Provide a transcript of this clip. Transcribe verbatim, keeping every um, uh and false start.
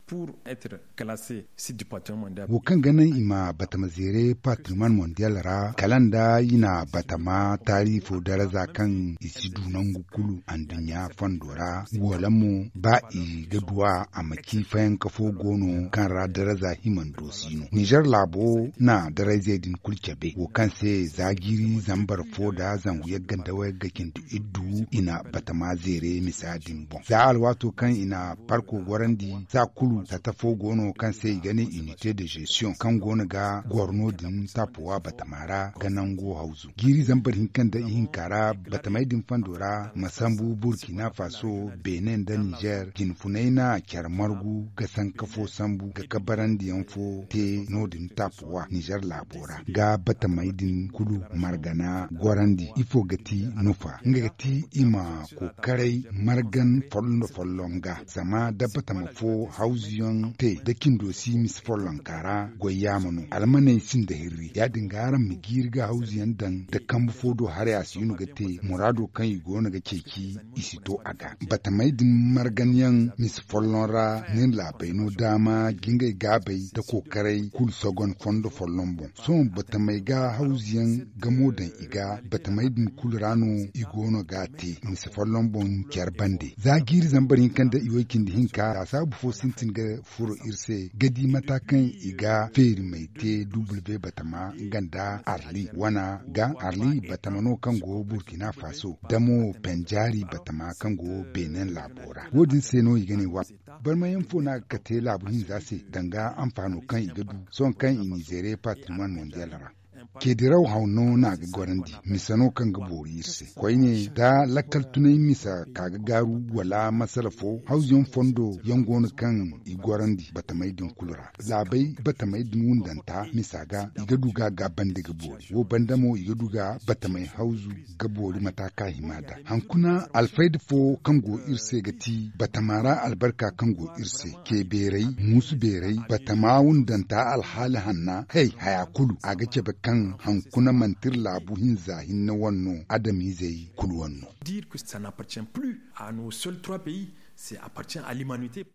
Pour être classé site du patrimoine mondial. Wo kaŋ ga naŋ i ma batama zeere patrimoine mondial ra kala nda i na batama taari fo daraza kaŋ i si du nangu kulu anduɲɲa fondo ra. Wala mo ba i ga duw'a a ma ci fayanka fo go no kaŋ ra daraza himando si no. Nizer laabo na darazey din kulu cabe wo kaŋ se za jiiri zambar fo nda zangu yagga nda wayagga cindi iddu i na batama zeere misa din boŋ za alwaato kaŋ i na parko gorandi za kulu tata fo go no kaŋ se i ga ne unité de gestion kaŋ go no ga goro no- din taapuwa batama ra ga nango hawzu jiiri zambar hinka nda ihinka ra batamey din fondo ra ma sambu burkina faso benin nda nizer jinfunay na care margu ga sanka fo sambu ga kabarandiyaŋ fo te no- din taapuwa nizer laabo ra ga batamey din kulu margana gorandi ifo ga ti nufa nga ga ti i ma kokaray margan folloŋ-folloŋ ga zama da batama fo hawzuyaŋ te da cindo si misi follonka ra goy yaama no almaney sinda hirri ya- din ga araŋ ma jiiri ga hawzuyaŋ daŋ da kambe fo do haray a si no ga te muraado kaŋ i go no ga ceeci i si to a ga batamey din marganyaŋ misi folloŋ ra nin laabey no daama ga ngey gaabey da kokaray kulu sogon fondo folloŋ boŋ sohõ batamey ga hawzuyaŋ gamo daŋ i ga batamey din kulu ra no i go no ga a te misi folloŋ boŋ care bande za jiiri zambar hinka nda i way cindi hinka laasaabu fo sintin ga furo iri se ga di mata kaŋ i ga feerimey te duble be batama nga nda arli wana ga arli batama no kaŋ go burkina faso da mo penjaari batama kaŋ go benin laabo ra wo- din se no i ga ne wa barmayaŋ fo no a ga kate laabu hinza se danga anfaano kaŋ i ga du sohõ kaŋ i n'i zeere patrimoine mondial ra. Ceediraw haw no no a ga gorandi misa no kaŋ ga boori iri se koyne da lakkal tunay misa ka ga gaaru wala masala fo hawzuyaŋ fondo yaŋ go no kaŋ i gorandi batamey din kulu ra laabey batamey din wundanta misa ga i ga du ga a gaabandi ga boori wo banda mo i ga du ga batamey hawzu ga boori mata kaŋ a hima nd'a hankuna alfayda fo kaŋ go iri se ga ti batama ra albarka kaŋ go iri se ce beeray muusu beeray batama wundanta alhaali hanna hey haya kulu a ga cabe kaŋ hankuna manti iri laabu hinza hinne wane no adamizey kulu wane no. Dire que ça n'appartient plus à nos seuls trois pays, c'est appartient à l'humanité.